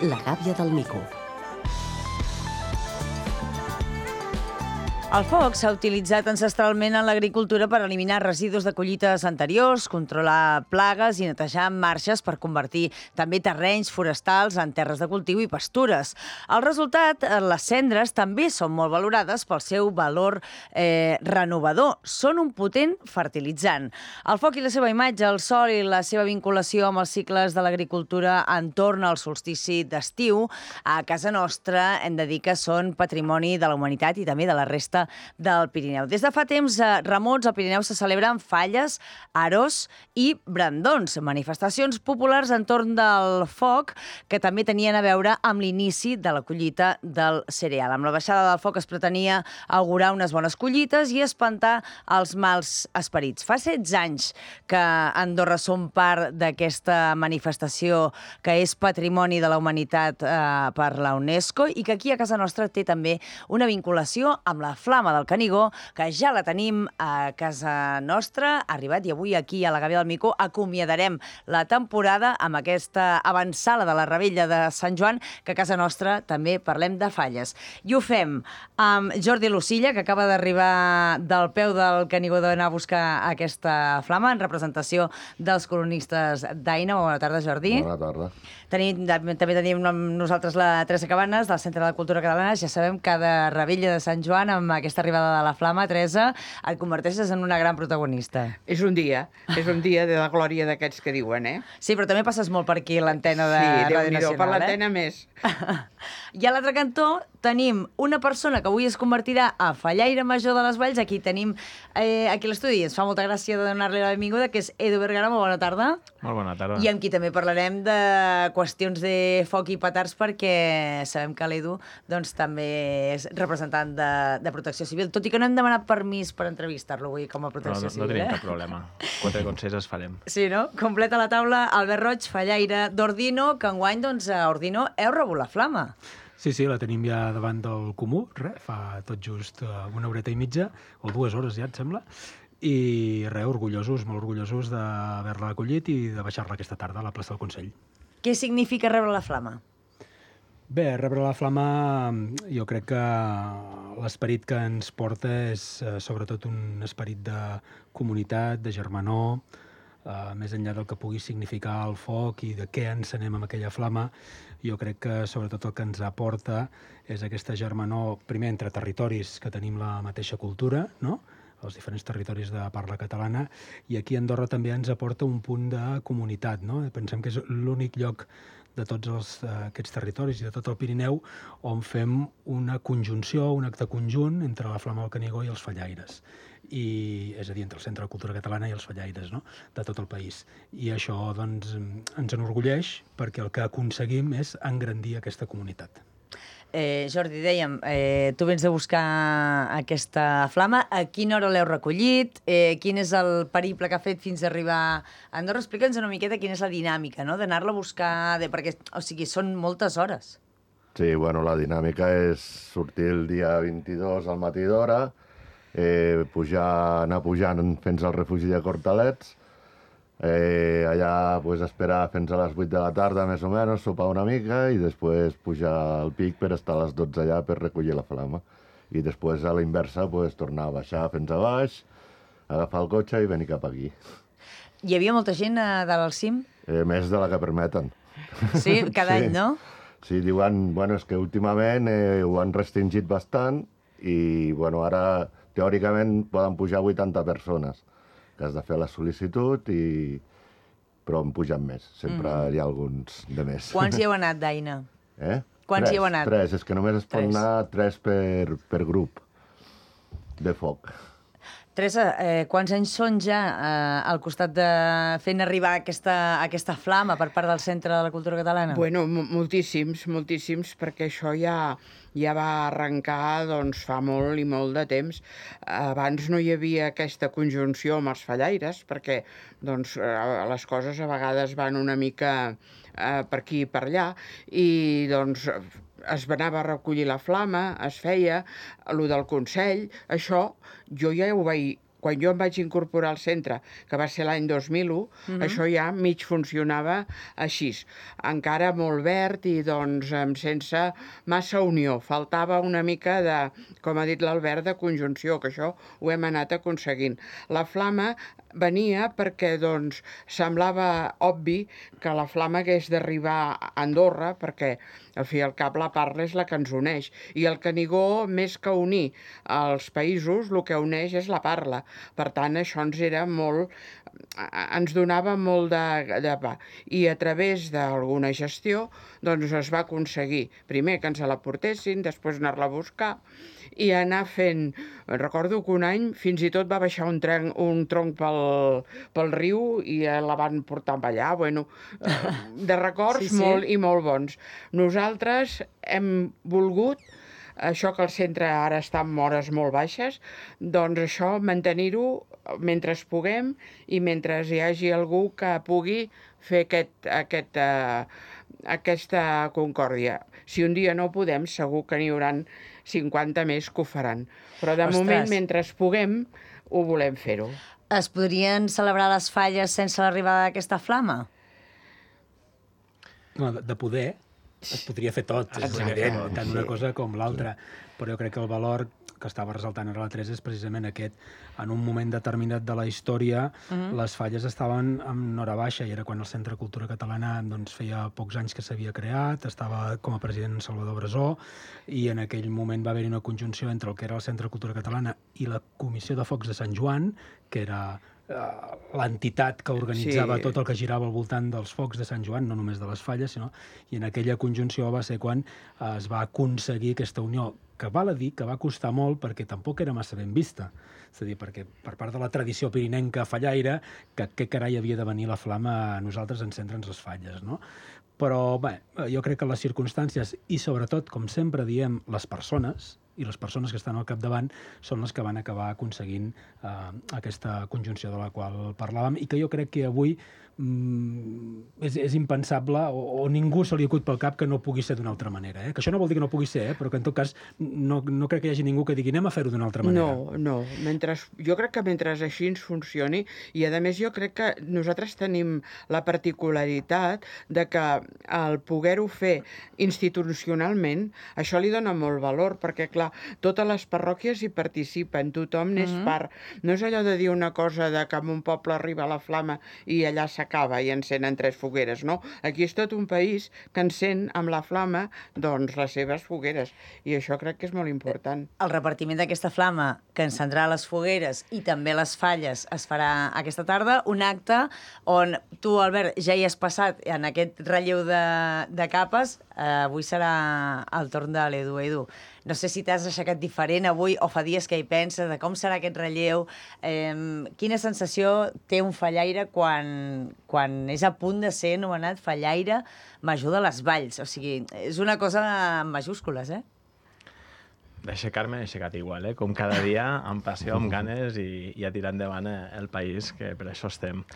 La gàbia del mico. El foc s'ha utilitzat ancestralment en l'agricultura per eliminar residus de collites anteriors, controlar plagues i netejar marges per convertir també terrenys forestals en terres de cultiu i pastures. El resultat, les cendres també són molt valorades pel seu valor renovador. Són un potent fertilitzant. El foc i la seva imatge, el sol i la seva vinculació amb els cicles de l'agricultura entorn al solstici d'estiu, a casa nostra hem de dir que són patrimoni de la humanitat i també de la resta del Pirineu. Des de fa temps remots, al Pirineu se celebren falles, aros i brandons, manifestacions populars entorn del foc que també tenien a veure amb l'inici de la collita del cereal. Amb la baixada del foc es pretenia augurar unes bones collites i espantar els mals esperits. Fa 16 anys que Andorra som part d'aquesta manifestació que és patrimoni de la humanitat per la UNESCO i que aquí a casa nostra té també una vinculació amb la flama del Canigó, que ja la tenim a casa nostra, ha arribat, i avui aquí a la Gàbia del Mico acomiadarem la temporada amb aquesta avançada de la Rebella de Sant Joan, que a casa nostra també parlem de falles. I ho fem amb Jordi Lucilla, que acaba d'arribar del peu del Canigó d'anar a buscar aquesta flama en representació dels colonistes d'Aina. Bona tarda, Jordi. Bona tarda. També tenim amb nosaltres la Teresa Cabanes, del Centre de la Cultura Catalana. Ja sabem, cada Rebella de Sant Joan, amb aquesta arribada de la flama, Teresa, et converteixes en una gran protagonista. És un dia de la glòria d'aquests que diuen, eh? Sí, però també passes molt per aquí, l'antena de Ràdio Nacional, per l'antena més. I a l'altre cantó tenim una persona que avui es convertirà a fallaire major de les Valls. Aquí tenim, aquí a l'estudi, ens fa molta gràcia de donar-li la benvinguda, que és Edu Vergara. Molt bona tarda. Molt bona tarda. I amb qui també parlarem de qüestions de foc i petards, perquè sabem que l'Edu doncs, també és representant de Protecció Civil, tot i que no hem demanat permís per entrevistar-lo avui com a Protecció Civil. No tenim cap problema. 4 consells farem. Sí, no? Completa la taula Albert Roig, fallaire d'Ordino, que enguany, doncs, a Ordino heu rebut la flama. Sí, la tenim ja davant del Comú, fa tot just una horeta i mitja, o 2 hores ja, et sembla, i orgullosos, molt orgullosos d'haver-la acollit i de baixar-la aquesta tarda a la plaça del Consell. Què significa rebre la flama? Bé, rebre la flama, jo crec que l'esperit que ens porta és sobretot un esperit de comunitat, de germanor, més enllà del que pugui significar el foc i de què encenem amb aquella flama. Jo crec que sobretot el que ens aporta és aquesta germanor, primer entre territoris que tenim la mateixa cultura, no?, els diferents territoris de parla catalana, i aquí a Andorra també ens aporta un punt de comunitat, no? Pensem que és l'únic lloc de tots aquests territoris i de tot el Pirineu on fem una conjunció, un acte conjunt entre la Flama del Canigó i els fallaires. És a dir, entre el Centre de Cultura Catalana i els fallaires, no?, de tot el país. I això doncs, ens enorgulleix perquè el que aconseguim és engrandir aquesta comunitat. Jordi, dèiem, tu vens de buscar aquesta flama. A quina hora l'heu recollit? Quin és el periple que ha fet fins a arribar a Andorra? Explica'ns una miqueta quina és la dinàmica, no?, d'anar-la a buscar, perquè, o sigui, són moltes hores. Sí, bueno, la dinàmica és sortir el dia 22 al matí d'hora, anar pujant fins al refugi de Cortalets, allà pues, esperar fins a les 8 de la tarda, més o menys, sopar una mica i després pujar al pic per estar a les 12 allà per recollir la flama. I després, a la inversa, pues, tornar a baixar fins a baix, agafar el cotxe i venir cap aquí. Hi havia molta gent a dalt al cim? Més de la que permeten. Sí, cada any, no? Sí, diuen, bueno, és que últimament ho han restringit bastant i, bueno, ara teòricament poden pujar 80 persones, que has de fer la sol·licitud, però en pugen més. Sempre hi ha alguns de més. Quants hi heu anat, d'Aina? Quants hi heu anat? 3, és que només es pot anar 3 per grup de foc. Teresa, quants anys són ja al costat de fent arribar aquesta flama per part del Centre de la Cultura Catalana? Bueno, moltíssims, perquè això ja va arrencar doncs, fa molt i molt de temps. Abans no hi havia aquesta conjunció amb els fallaires, perquè doncs, les coses a vegades van una mica per aquí i per allà, i doncs es anava a recollir la flama, es feia, allò del Consell, això jo ja ho vaig quan jo em vaig incorporar al centre, que va ser l'any 2001, això ja mig funcionava així. Encara molt verd i doncs sense massa unió. Faltava una mica de, com ha dit l'Albert, de conjunció, que això ho hem anat aconseguint. La flama venia perquè doncs, semblava obvi que la flama hagués d'arribar a Andorra, perquè al fi i al cap la parla és la que ens uneix. I el Canigó, més que unir els països, el que uneix és la parla. Per tant, això ens donava molt de pa. I a través d'alguna gestió doncs es va aconseguir, primer que ens la portessin, després anar-la a buscar, i anar fent... Recordo que un any fins i tot va baixar un tronc pel riu i la van portar allà. Bueno, de records molt i molt bons. Nosaltres hem volgut, això que el centre ara està en hores molt baixes, doncs això mantenir-ho mentre puguem i mentre hi hagi algú que pugui fer aquesta concòrdia. Si un dia no podem, segur que n'hi hauran 50 més que ho faran. Però de moment, mentre puguem, ho volem fer-ho. Es podrien celebrar les falles sense l'arribada d'aquesta flama? No, de poder es podria fer tot, és evident, tant una cosa com l'altra. Però jo crec que el valor que estava ressaltant ara la Teresa és precisament aquest. En un moment determinat de la història, les falles estaven en hora baixa, i era quan el Centre de Cultura Catalana doncs, feia pocs anys que s'havia creat, estava com a president Salvador Brasó, i en aquell moment va haver-hi una conjunció entre el que era el Centre de Cultura Catalana i la Comissió de Focs de Sant Joan, que era l'entitat que organitzava tot el que girava al voltant dels focs de Sant Joan, no només de les falles, sinó... I en aquella conjunció va ser quan es va aconseguir aquesta unió, que val a dir que va costar molt perquè tampoc era massa ben vista. És a dir, perquè per part de la tradició pirinenca fallaire, que què carai havia de venir la flama a nosaltres a encendre'ns les falles, no? Però, bé, jo crec que les circumstàncies i, sobretot, com sempre diem, les persones que estan al capdavant són les que van acabar aconseguint aquesta conjunció de la qual parlàvem i que jo crec que avui és impensable o ningú se li acut pel cap que no pugui ser d'una altra manera. Que això no vol dir que no pugui ser, però que en tot cas no crec que hi hagi ningú que digui anem a fer-ho d'una altra manera. No. Jo crec que mentre així ens funcioni, i a més jo crec que nosaltres tenim la particularitat de que el poder-ho fer institucionalment, això li dona molt valor, perquè clar, totes les parròquies hi participen, tothom n'és part. No és allò de dir una cosa de que en un poble arriba la flama i allà s'acaba i encenen 3 fogueres, no? Aquí és tot un país que encén amb la flama doncs les seves fogueres, i això crec que és molt important. El repartiment d'aquesta flama que encendrà les fogueres i també les falles es farà aquesta tarda, un acte on tu, Albert, ja hi has passat en aquest relleu de capes. Avui serà el torn de l'Edu. Edu, no sé si t'has aixecat diferent avui o fa dies que hi penses de com serà aquest relleu. Quina sensació té un fallaire quan és a punt de ser anomenat fallaire major de les Valls? O sigui, és una cosa en majúscules, D'aixecar-me he aixecat igual, com cada dia, amb passió, amb ganes i a tirar endavant el país, que per això estem.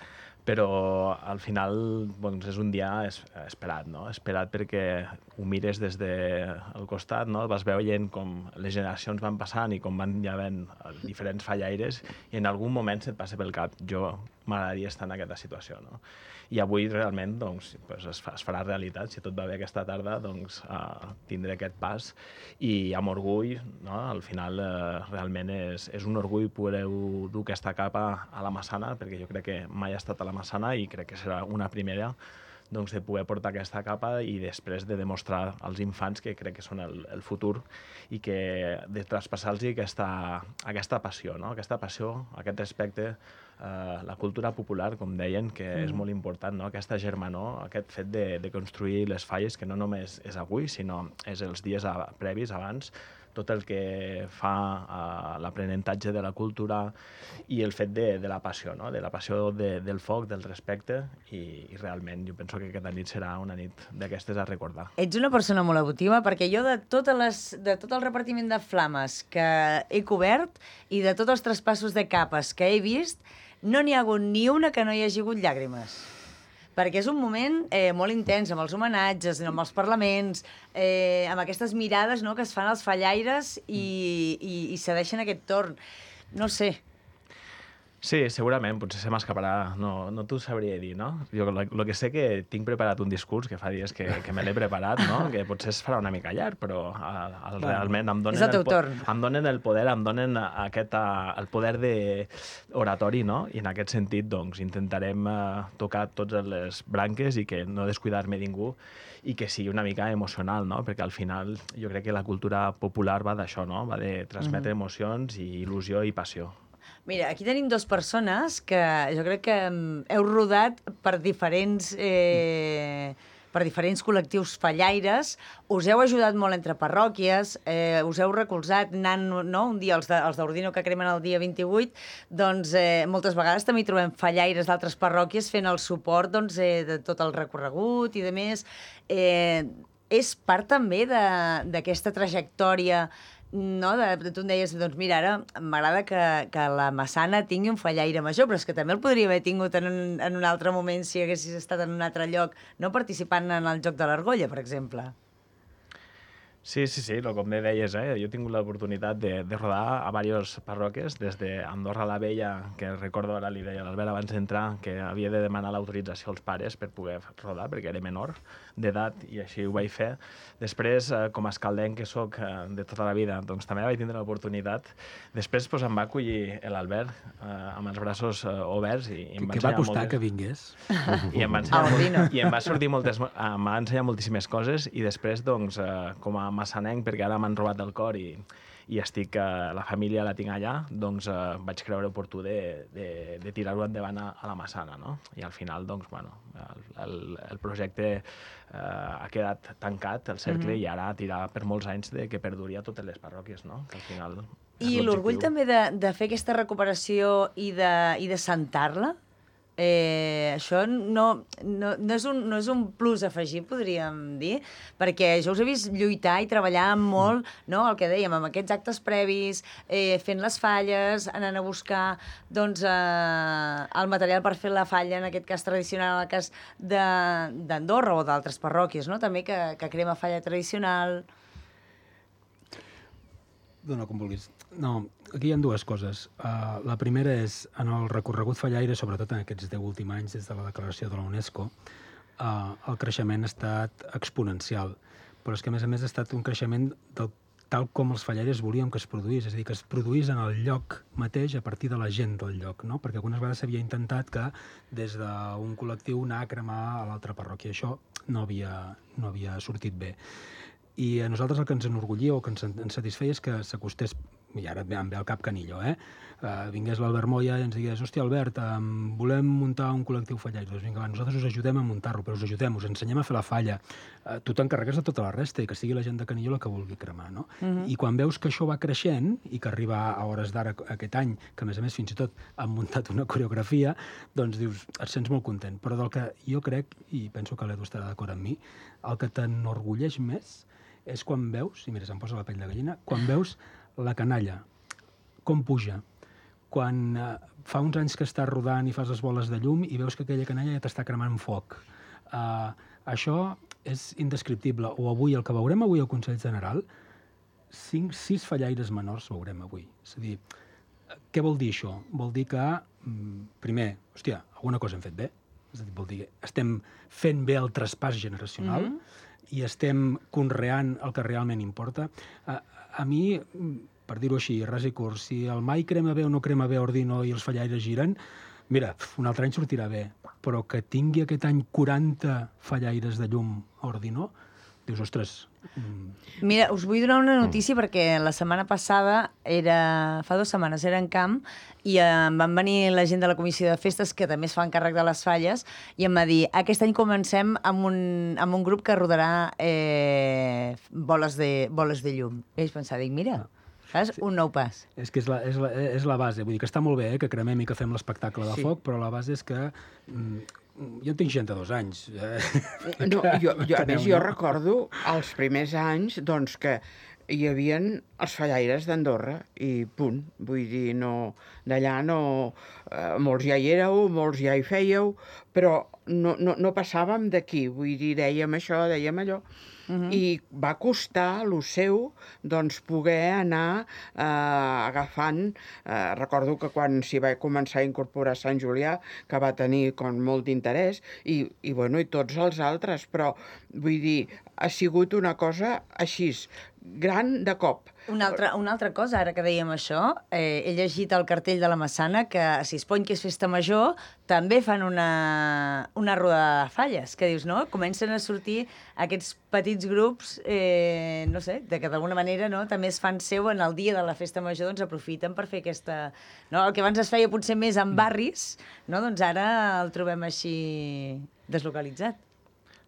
Però al final doncs, és un dia esperat, no? Esperat perquè ho mires des del costat, no? Vas veient com les generacions van passant i com van ja havent diferents fallaires i en algun moment se't passa pel cap, jo m'agradaria estar en aquesta situació, no? I avui realment doncs, es farà realitat, si tot va bé aquesta tarda, doncs tindré aquest pas i amb orgull, no? Al final realment és un orgull poder dur aquesta capa a la Massana, perquè jo crec que mai ha estat a la Massana i crec que serà una primera doncs, de poder portar aquesta capa i després de demostrar als infants que crec que són el futur i que de traspassar-los aquesta passió, no? Aquesta passió, aquest respecte, la cultura popular, com deien, que és molt important, no? Aquesta germanor, aquest fet de construir les falles, que no només és avui, sinó és els dies previs, abans, tot el que fa l'aprenentatge de la cultura i el fet de la passió, no? De la passió del foc, del respecte, i realment jo penso que aquesta nit serà una nit d'aquestes a recordar. Ets una persona molt emotiva, perquè jo de tot el repartiment de flames que he cobert i de tots els traspassos de capes que he vist, no n'hi ha hagut ni una que no hi hagi hagut llàgrimes. Perquè és un moment molt intens, amb els homenatges, amb els parlaments, amb aquestes mirades, no?, que es fan als fallaires i cedeixen aquest torn. No sé. Sí, segurament, potser se m'escaparà, no t'ho sabria dir, no? Jo el que sé que tinc preparat un discurs, que fa dies que me l'he preparat, no? Que potser es farà una mica llarg, però realment em donen, és el teu torn. Em donen el poder, em donen el poder d'oratori, no? I en aquest sentit, doncs, intentarem tocar totes les branques i que no descuidar-me ningú i que sigui una mica emocional, no? Perquè al final jo crec que la cultura popular va d'això, no? Va de transmetre emocions i il·lusió i passió. Mira, aquí tenim dues persones que jo crec que heu rodat per diferents col·lectius fallaires, us heu ajudat molt entre parròquies, us heu recolzat anant, no? Un dia els d'Ordino que cremen el dia 28, doncs moltes vegades també hi trobem fallaires d'altres parròquies fent el suport doncs, de tot el recorregut i de més. És part també d'aquesta trajectòria, no? Tu em deies, doncs mira, ara m'agrada que la Massana tingui un fallaire major, però és que també el podria haver tingut en un altre moment si haguessis estat en un altre lloc, no participant en el Joc de l'Argolla, per exemple. Sí, com bé deies, jo he tingut l'oportunitat de rodar a diverses parròquies, des d'Andorra la Vella, que recordo ara li deia a l'Albert abans d'entrar, que havia de demanar l'autorització als pares per poder rodar, perquè era menor d'edat, i així ho vaig fer. Després, com a escaldenc que soc de tota la vida, doncs també vaig tindre l'oportunitat. Després em va acollir l'Albert amb els braços oberts i em va ensenyar va costar que vingués? I em va ensenyar moltíssimes coses, i després, doncs, com a massanenc, perquè ara m'han robat el cor i estic, la família la tinc allà, doncs vaig creure oportú de tirar-ho endavant a la Massana, no? I al final, doncs, bueno, el projecte ha quedat tancat, el cercle, i ara tirar per molts anys que perduri a totes les parròquies, no? Que al final I l'orgull també de fer aquesta recuperació i de sentar-la? Això no és un plus afegit, podríem dir, perquè jo us he vist lluitar i treballar molt, no? El que dèiem, amb aquests actes previs, fent les falles, anant a buscar doncs, el material per fer la falla, en aquest cas tradicional, en el cas d'Andorra o d'altres parròquies, no? També que crema falla tradicional. Dona com vulguis. No, aquí hi ha dues coses. La primera és, en el recorregut fallaire, sobretot en aquests 10 últims anys, des de la declaració de la UNESCO, el creixement ha estat exponencial. Però és que, a més, ha estat un creixement tal com els fallaires volíem que es produís. És a dir, que es produís en el lloc mateix a partir de la gent del lloc, no? Perquè algunes vegades s'havia intentat que des d'un col·lectiu anar a cremar a l'altra parròquia. Això no havia sortit bé. I a nosaltres el que ens enorgullia o que ens satisfeia és que s'acostés, i ara em ve al cap Canillo, vingués l'Albert Moya i ens digués: hòstia, Albert, volem muntar un col·lectiu fallaire. Doncs vinga, nosaltres us ajudem a muntar-lo, però us ajudem, us ensenyem a fer la falla. Tu t'encarregues de tota la resta i que sigui la gent de Canillo la que vulgui cremar, no? I quan veus que això va creixent i que arriba a hores d'ara aquest any, que a més fins i tot han muntat una coreografia, doncs dius, et sents molt content. Però del que jo crec, i penso que l'Edu estarà d'acord amb mi, el que t'enorgulleix més és quan veus, i mira, se'm posa la pell de gallina, quan veus la canalla, com puja, quan fa uns anys que estàs rodant i fas les boles de llum i veus que aquella canalla ja t'està cremant foc. Això és indescriptible. O avui, el que veurem avui al Consell General, 6 fallaires menors veurem avui. És a dir, què vol dir això? Vol dir que, primer, hòstia, alguna cosa hem fet bé. És a dir, vol dir que estem fent bé el traspàs generacional, i estem conreant el que realment importa. A mi, per dir-ho així, ras i curt, si el mai crema bé o no crema bé Ordino i els fallaires giren, mira, un altre any sortirà bé, però que tingui aquest any 40 fallaires de llum a Ordino, dius, ostres... Mira, us vull donar una notícia perquè la setmana passada, fa 2 setmanes, era en camp i em van venir la gent de la Comissió de Festes, que també es fa encàrrec de les falles, i em va dir, aquest any comencem amb un grup que rodarà boles de llum. I vaig pensar, mira, saps? Un nou pas. És que és la base. Vull dir que està molt bé que cremem i que fem l'espectacle de foc, però la base és que... Jo tinc 62 anys. No, a més, jo recordo els primers anys doncs, que hi havia els fallaires d'Andorra i punt. Vull dir, d'allà no... molts ja hi éreu, molts ja hi fèieu, però no passàvem d'aquí, vull dir, dèiem això, dèiem allò, i va costar lo seu doncs, poder anar agafant. Recordo que quan s'hi va començar a incorporar Sant Julià, que va tenir molt d'interès, i tots els altres, però vull dir, ha sigut una cosa així, gran de cop. Una altra cosa, ara que dèiem això, he llegit el cartell de la Massana que a Sispony, que és festa major, també fan una roda de falles, que dius, no? Comencen a sortir aquests petits grups, no sé, de que d'alguna manera també es fan seu en el dia de la festa major, doncs aprofiten per fer aquesta... No? El que abans es feia potser més en barris, no? Doncs ara el trobem així deslocalitzat.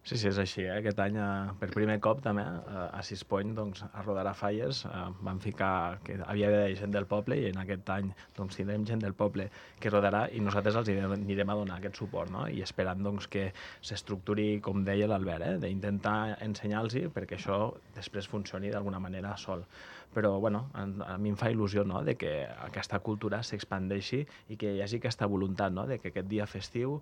Sí, és així. Aquest any, per primer cop, també, a Sispony, doncs, a Rodarà Falles, van ficar que havia d'haver gent del poble, i en aquest any doncs, tindrem gent del poble que rodarà, i nosaltres els anirem a donar aquest suport, no? I esperant doncs, que s'estructuri, com deia l'Albert, d'intentar ensenyar-los perquè això després funcioni d'alguna manera sol. Però, bueno, a mi em fa il·lusió, no?, de que aquesta cultura s'expandeixi i que hi hagi aquesta voluntat, no?, de que aquest dia festiu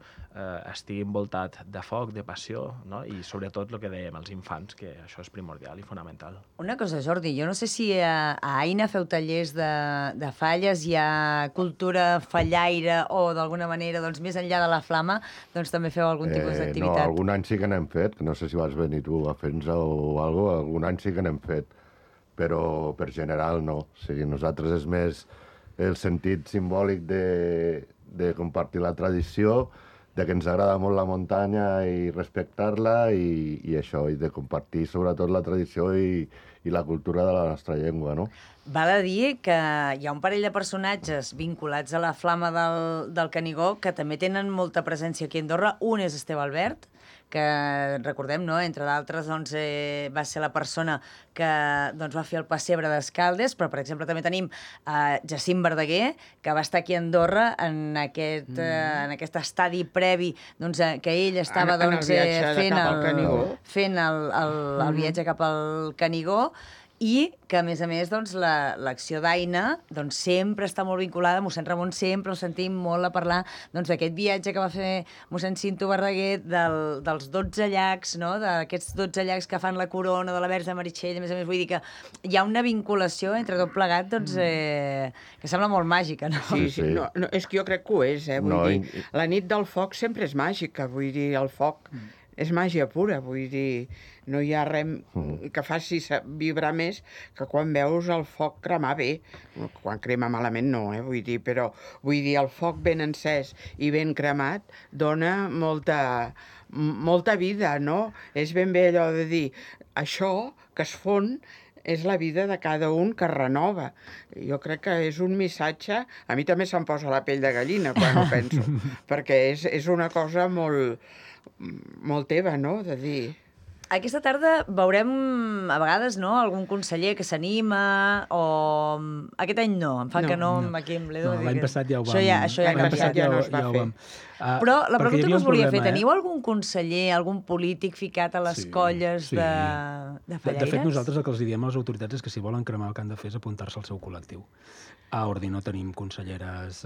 estigui envoltat de foc, de passió, no?, i sobretot el que dèiem, els infants, que això és primordial i fonamental. Una cosa, Jordi, jo no sé si a Aina feu tallers de falles, hi ha cultura fallaire o d'alguna manera, doncs, més enllà de la flama, doncs també feu algun tipus d'activitat. No, algun any sí que n'hem fet, no sé si vas venir tu a fer-nos o alguna cosa, algun any sí que n'hem fet, però per general no. O sigui, nosaltres és més el sentit simbòlic de compartir la tradició, de que ens agrada molt la muntanya i respectar-la i això, i de compartir sobretot la tradició i la cultura de la nostra llengua, no? Val a dir que hi ha un parell de personatges vinculats a la flama del Canigó que també tenen molta presència aquí a Andorra. Un és Esteve Albert, que recordem, no?, entre d'altres, doncs, va ser la persona que doncs, va fer el pessebre d'Escaldes, però, per exemple, també tenim Jacint Verdaguer, que va estar aquí a Andorra en aquest estadi previ, doncs, que ell estava fent el viatge cap al Canigó, i que, a més, doncs, l'acció d'Aina doncs, sempre està molt vinculada. Mossèn Ramon sempre el sentim molt a parlar d'aquest viatge que va fer mossèn Cinto Verdaguer, dels 12 llacs, no?, d'aquests 12 llacs que fan la corona de la Verge de Meritxell. A més, vull dir que hi ha una vinculació entre tot plegat doncs, que sembla molt màgica, no? Sí. No, és que jo crec que ho és, vull dir, la nit del foc sempre és màgica, vull dir, el foc és màgia pura, vull dir, no hi ha res que faci vibrar més que quan veus el foc cremar bé. Quan crema malament no, vull dir, però vull dir, el foc ben encès i ben cremat dona molta vida, no? És ben bé allò de dir, això que es fon és la vida de cada un que es renova. Jo crec que és un missatge... A mi també se'm posa la pell de gallina quan ho penso, perquè és una cosa molt teva, no?, de dir... Aquesta tarda veurem, a vegades, no?, algun conseller que s'anima, o... Aquest any no, em fa que no. Aquí amb l'Edu... L'any passat ja ho vam... Això ja ha canviat. Ja no es va fer. Però la pregunta que us volia fer, teniu algun conseller, algun polític ficat a les colles de fallaires? De fet, nosaltres el que els diem a les autoritats és que si volen cremar el que han de fer és apuntar-se al seu col·lectiu. A Ordi no tenim conselleres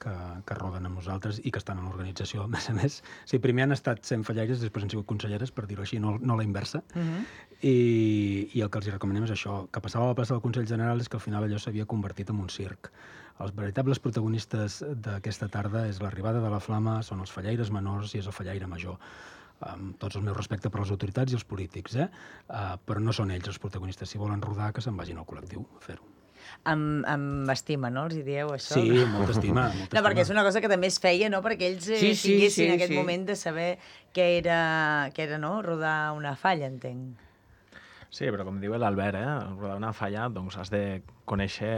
que roden amb nosaltres i que estan en l'organització. A més, primer han estat sent fallaires, després han sigut conselleres, per dir-ho així, no la inversa. I el que els recomanem és això, que passava a la plaça del Consell General és que al final allò s'havia convertit en un circ. Els veritables protagonistes d'aquesta tarda és l'arribada de la flama, són els fallaires menors i és el fallaire major. Amb tots els meus respectes per les autoritats i els polítics, però no són ells els protagonistes. Si volen rodar, que se'n vagin al col·lectiu a fer-ho. Amb estima, no? Els hi dieu això? Sí, molta estima. No, perquè és una cosa que també es feia, no?, perquè ells tinguessin aquest moment de saber què era, no?, rodar una falla, entenc. Sí, però com diu l'Albert, rodar una falla, doncs has de conèixer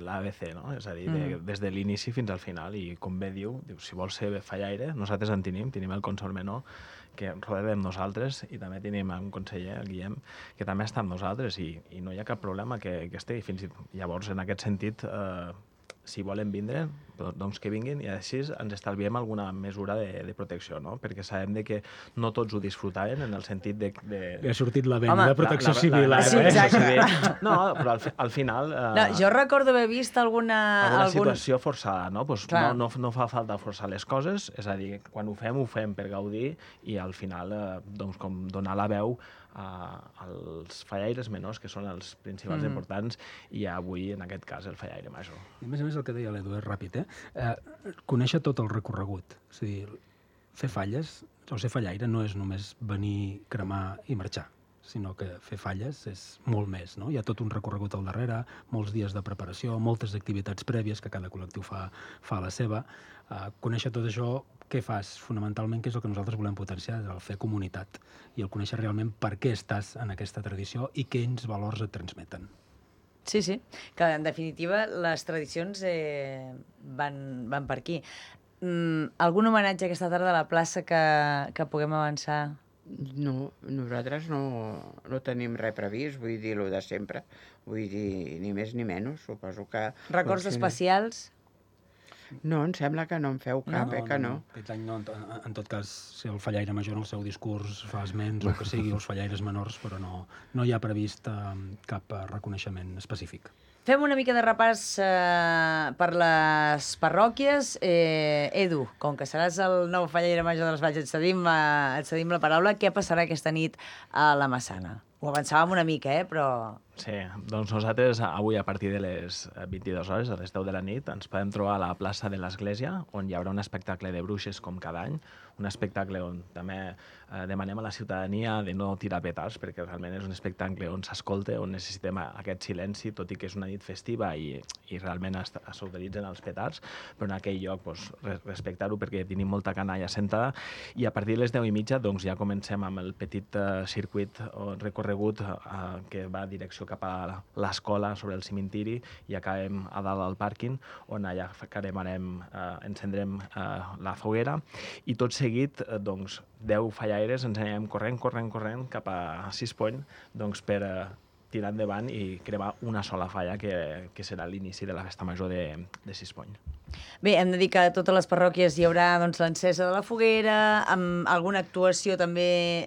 l'ABC, no? És a dir, des de l'inici fins al final. I com bé diu, si vols ser fallaire, nosaltres en tenim el Consol Menor, que rodem nosaltres, i també tenim un conseller, el Guillem, que també està amb nosaltres, i no hi ha cap problema que estigui. Llavors, en aquest sentit, si volen vindre, doncs que vinguin i així ens estalviem alguna mesura de protecció, no? Perquè sabem que no tots ho disfrutaven en el sentit de... Ha sortit la venda de protecció civil. Sí, exacte. No, però al final... No, jo recordo haver vist alguna situació forçada, no? Pues no fa falta forçar les coses, és a dir, quan ho fem per gaudir i al final doncs, com donar la veu als fallaires menors, que són els principals importants, i avui, en aquest cas, el fallaire major. I a més el que deia l'Edu és ràpid, conèixer tot el recorregut. És a dir, fer falles, o ser fallaire, no és només venir, cremar i marxar, sinó que fer falles és molt més, no? Hi ha tot un recorregut al darrere, molts dies de preparació, moltes activitats prèvies que cada col·lectiu fa la seva. Conèixer tot això, què fas? Fonamentalment, què és el que nosaltres volem potenciar? El fer comunitat i el conèixer realment per què estàs en aquesta tradició i quins valors et transmeten. Sí, que en definitiva les tradicions van per aquí. Algun homenatge aquesta tarda a la plaça que puguem avançar? No, nosaltres no tenim res previst, vull dir, el de sempre. Vull dir, ni més ni menys, suposo que... Records especials? No, em sembla que no en feu cap, que no. Aquest any no, en tot cas, si el fallaire major en el seu discurs fa esments o que sigui, els fallaires menors, però no hi ha previst cap reconeixement específic. Fem una mica de repàs per les parròquies. Edu, com que seràs el nou fallaire major de les Valls, et cedim la paraula. Què passarà aquesta nit a la Massana? Ho avançàvem una mica, però... Sí, doncs nosaltres avui a partir de les 22 hores, a les 10 de la nit, ens podem trobar a la plaça de l'Església, on hi haurà un espectacle de bruixes com cada any, un espectacle on també demanem a la ciutadania de no tirar petards, perquè realment és un espectacle on s'escolta, on necessitem aquest silenci, tot i que és una nit festiva i realment s'utilitzen els petards, però en aquell lloc respectar-ho perquè tenim molta canalla sentada, i a partir de les 10:30 doncs, ja comencem amb el petit circuit o recorregut que va a direcció cap a l'escola sobre el cimentiri i acabem a dalt al pàrquing, on allà encendrem la foguera, i tot seguit, doncs, 10 fallaires ens anirem corrent cap a Sispony, doncs, per tirar endavant i cremar una sola falla, que serà l'inici de la festa major de Sispony. Bé, hem de dir que a totes les parròquies hi haurà l'encesa de la foguera, amb alguna actuació també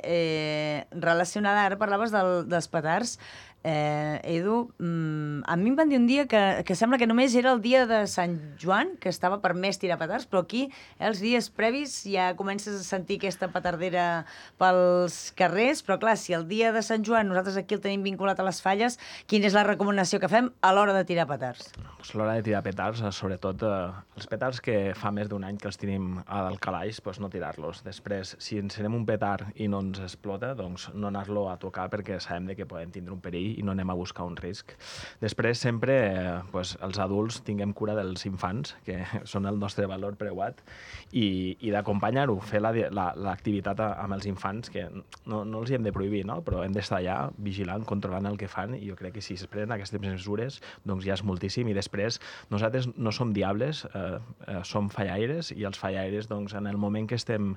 relacionada. Ara parlaves dels petards. Edu, a mi em van dir un dia que sembla que només era el dia de Sant Joan, que estava permès tirar petards, però aquí els dies previs ja comences a sentir aquesta petardera pels carrers, però clar, si el dia de Sant Joan nosaltres aquí el tenim vinculat a les falles, quina és la recomanació que fem a l'hora de tirar petards? Pues a l'hora de tirar petards, sobretot els petards que fa més d'un any que els tenim al calaix, doncs no tirar-los. Després, si encenem un petard i no ens explota, doncs no anar-lo a tocar perquè sabem que podem tindre un perill i no anem a buscar un risc. Després, sempre, els adults tinguem cura dels infants, que són el nostre valor preuat, i d'acompanyar-ho, fer l'activitat amb els infants, que no els hi hem de prohibir, no? Però hem d'estar allà vigilant, controlant el que fan, i jo crec que si es prenen aquestes mesures, doncs ja és moltíssim. I després, nosaltres no som diables, som fallaires, i els fallaires, doncs, en el moment que estem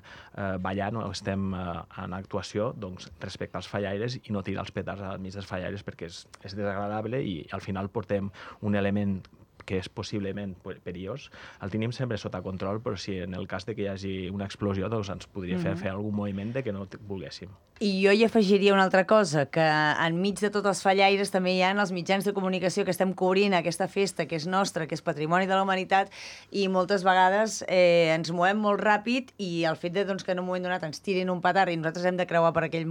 ballant o estem en actuació, doncs, respectar els fallaires i no tirar els petards al mig dels fallaires, perquè és desagradable i al final portem un element que és possiblement perillós. El tenim sempre sota control, però si en el cas de que hi hagi una explosió, doncs ens podria fer algun moviment de que no volguéssim. I jo hi afegiria una altra cosa, que enmig de tots els fallaires també hi ha els mitjans de comunicació que estem cobrint aquesta festa, que és nostra, que és patrimoni de la humanitat, i moltes vegades ens movem molt ràpid, i el fet que en un moment donat ens tirin un petard i nosaltres hem de creuar per aquell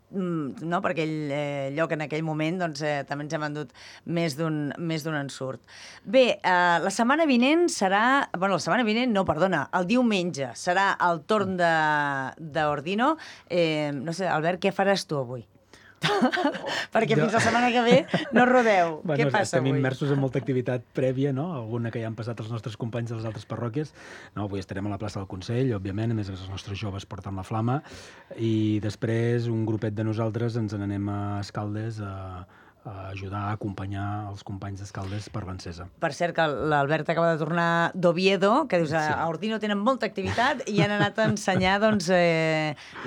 per aquell lloc en aquell moment, doncs també ens hem endut més d'un ensurt. Bé, la setmana vinent serà... Bueno, la setmana vinent, no, perdona, el diumenge serà el torn d'Ordino. No sé, Albert, què faràs tu avui? Perquè fins la setmana que ve no rodeu. Què passa avui? Estem immersos en molta activitat prèvia, no? Alguna que ja han passat els nostres companys de les altres parròquies. No, avui estarem a la plaça del Consell, òbviament, a més els nostres joves porten la flama, i després un grupet de nosaltres ens n'anem a Escaldes a ajudar a acompanyar els companys d'Escaldes per l'encesa. Per cert, que l'Albert acaba de tornar d'Oviedo, que dius, a Ordino tenen molta activitat i han anat a ensenyar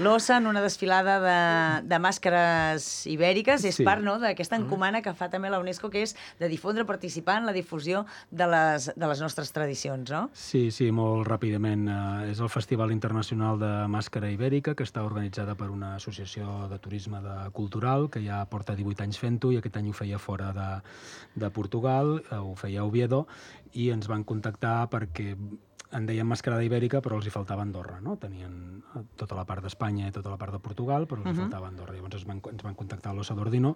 l'ossa en una desfilada de màscares ibèriques. És part d'aquesta encomana que fa també la UNESCO, que és de difondre, participar en la difusió de les nostres tradicions, no? Sí, molt ràpidament. És el Festival Internacional de Màscara Ibèrica, que està organitzada per una associació de turisme cultural, que ja porta 18 anys fent-ho, i aquest any ho feia fora de Portugal, ho feia a Oviedo, i ens van contactar perquè en deien mascarada ibèrica, però els hi faltava Andorra, no? Tenien tota la part d'Espanya i tota la part de Portugal, però els hi faltava Andorra. Llavors ens van contactar a l'Ossa d'Ordino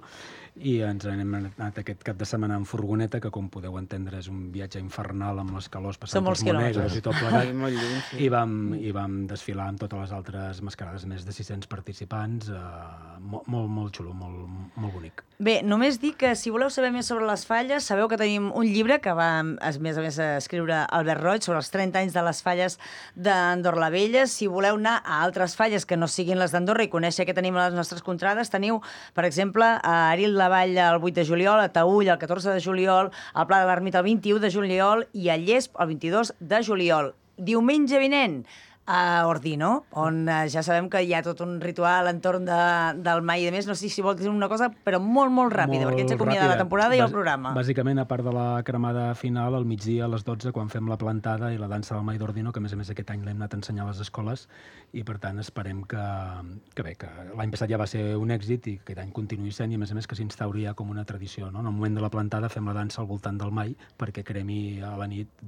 i ens hem anat aquest cap de setmana en furgoneta, que com podeu entendre és un viatge infernal amb les calors passant pels Monegros i tot plegat. I vam desfilar amb totes les altres mascarades, més de 600 participants, molt xulo, molt bonic. Bé, només dic que si voleu saber més sobre les falles, sabeu que tenim un llibre que va, a més escriure Albert Roig sobre els 30 anys de les falles d'Andorra la Vella. Si voleu anar a altres falles que no siguin les d'Andorra i conèixer què tenim a les nostres contrades, teniu, per exemple, a Aril de Vall el 8 de juliol, a Taüll el 14 de juliol, al Pla de l'Ermita el 21 de juliol i a Llesp el 22 de juliol. Diumenge vinent, a Ordino, on ja sabem que hi ha tot un ritual entorn del mai i de més. No sé si vol dir una cosa, però molt ràpida, perquè ens acomiada la temporada i el programa. Bàsicament, a part de la cremada final, al migdia, a les 12, quan fem la plantada i la dansa del mai d'Ordino, que a més aquest any l'hem anat a ensenyar a les escoles, i per tant esperem que l'any passat ja va ser un èxit i que aquest any continuï sent, i a més que s'instauri ja com una tradició, no? En el moment de la plantada fem la dansa al voltant del mai perquè cremi a la nit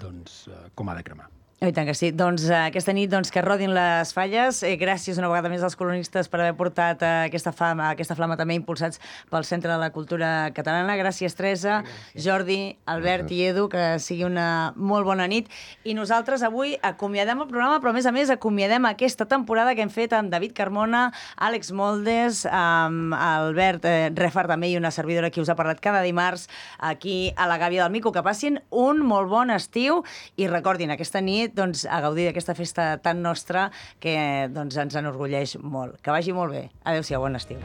com ha de cremar. I tant que sí. Doncs aquesta nit que rodin les falles. Gràcies una vegada més als colonistes per haver portat aquesta flama també impulsats pel Centre de la Cultura Catalana. Gràcies, Teresa, Jordi, Albert i Edu, que sigui una molt bona nit. I nosaltres avui acomiadem el programa, però a més acomiadem aquesta temporada que hem fet amb David Carmona, Àlex Moldes, amb Albert Refar també i una servidora que us ha parlat cada dimarts aquí a la Gàbia del Mico. Que passin un molt bon estiu i recordin, aquesta nit a gaudir d'aquesta festa tan nostra que ens enorgulleix molt. Que vagi molt bé. Adéu-siau, bon estiu.